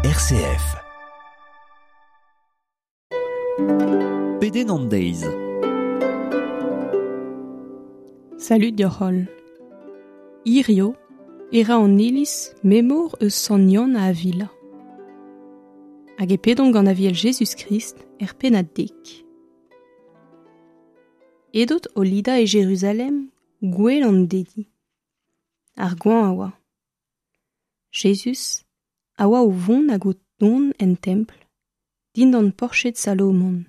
RCF. Pedenn an deiz. Salud deoc'h holl. Hirio e ra an iliz memor eus Sant Yann a Avila. Hag e pedomp gant Aviel Jezuz-Krist er pennad dek. Edot o lidañ e Jeruzalem gouel an dedi. Ar goañv a oa. Jezuz a oa o vont hag o tont en templ, dindan porched Salomon.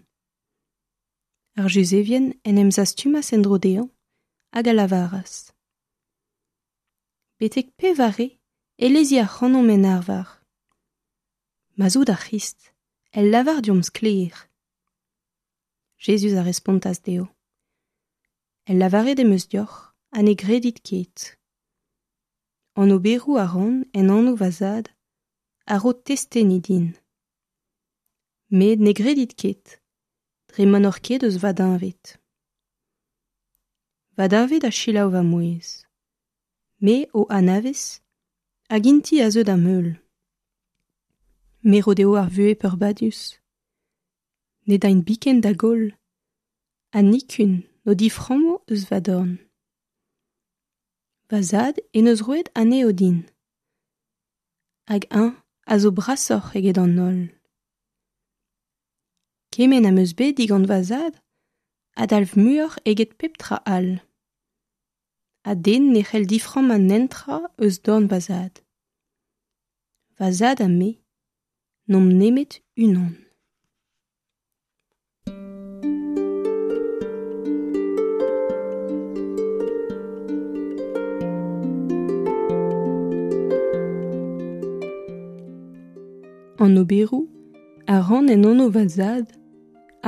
Ar Juzevien en em zastumas en-dro dezhañ hag a lavaras: Betek pevare e lezi ac'hanomp en arvar? Ma'z out ar C'hrist, el lavar deomp sklaer. Jezuz a respontas dezho: El lavaret em eus deoc'h ha ne gredit ket. An oberoù a ran en anv va zad a ro testeni din. Met ne gredit ket, dre ma n'oc'h ket eus va deñved. Va deñved a selaou va mouezh. Me o anavez hag int-i a zeu da'm heul. Me ro dezho ar vuhez peurbadus. Ne daint biken da goll, ha nikun n'o diframmo eus va dorn. Va zad en deus roet anezho din. Hag eñ a zo brasoc'h eget an holl. Kement am eus bet digant va zad a dalv muioc'h eget pep tra all. Ha den ne c'hell diframmañ netra eus dorn va zad. Va zad ha me n'omp nemet unan. An oberoù a ran en anv va zad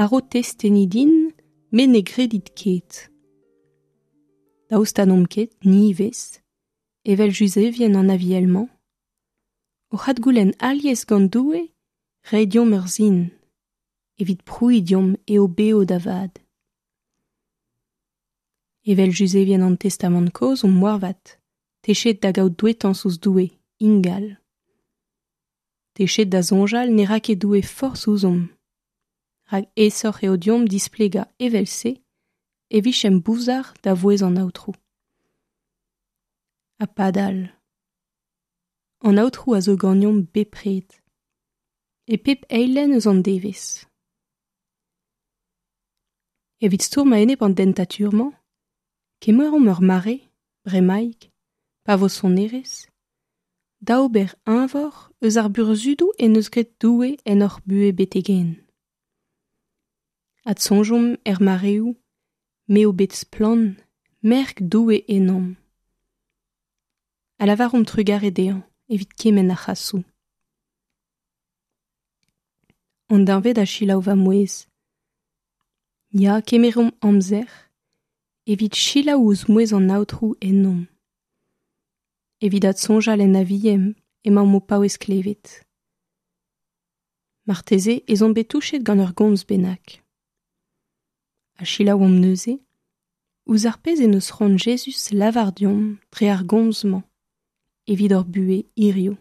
a ro testeni din met ne gredit ket. Daoust ha n'omp ket, ni ivez, evel Juzevien an Aviel-mañ, oc'h adgoulenn alies gant Doue reiñ deomp ur sin evit prouiñ deomp eo bev da vat. Evel Juzevien an Testamant kozh omp moarvat techet da gaout douetañs ouzh Doue ingal. Techet da soñjal ne ra ket Doue forzh ouzhomp, rak aesoc'h eo deomp displegañ evel-se e vijemp bouzar da vouezh an Aotrou. Ha padal, an Aotrou a zo ganeomp bepred, e pep eilenn eus an devezh. Evit stourm a-enep an dentatur-mañ, kemeromp ur mare, bremaik, pa vo sonerezh, da ober eñvor eus ar burzhudoù en deus graet Doue en hor buhez betek-henn. Adsoñjomp er mareoù m'eo bet splann merk Doue ennomp. Ha lavaromp trugarez dezhañ evit kement a c'hrasoù. An deñved a selaou va mouezh. Ya, kemeromp amzer evit selaou ouzh mouezh an Aotrou ennomp. Evit adsoñjal en Aviem emaomp o paouez klevet. Marteze ez omp bet touchet gant ur gomz bennak. Ha selaouomp neuze ouzh ar pezh en deus c'hoant Jezuz lavar deomp dre ar gomz-mañ evit hor buhez hiziv.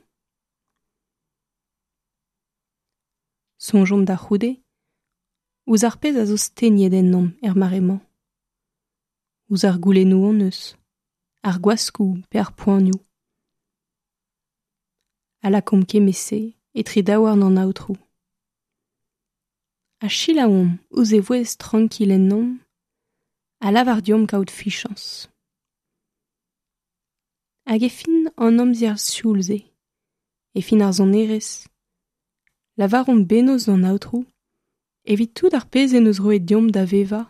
Soñjomp da c'houde ouzh ar pezh a zo stegnet ennomp er mare-mañ, ouzh ar goulennoù hon eus, ar gwaskoù pe ar poanioù. Ha lakaomp kement-se etre daouarn an Aotrou. Ha selaouomp ouzh e vouezh trankil ennomp a lavar deomp kaout fichañs. Hag e fin an amzer sioul-se, e fin ar sonerezh, lavaromp bennozh d'an Aotrou evit tout ar pezh en deus roet deomp da vevañ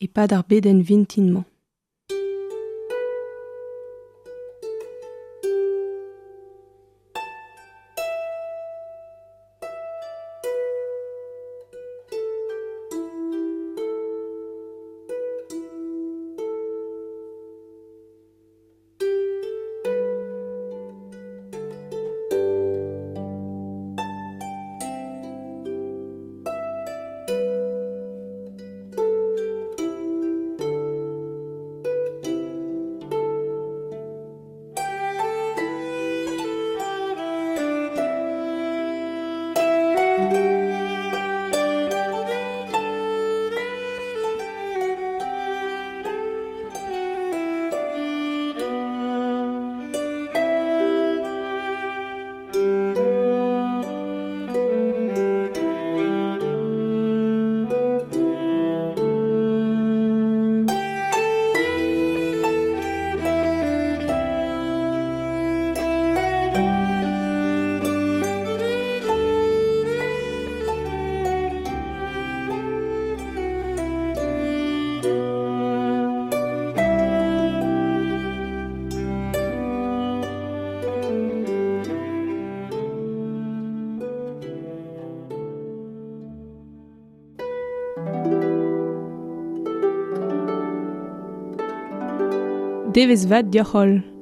e-pad ar bedenn vintin-mañ. Devezh vat deoc'h-holl.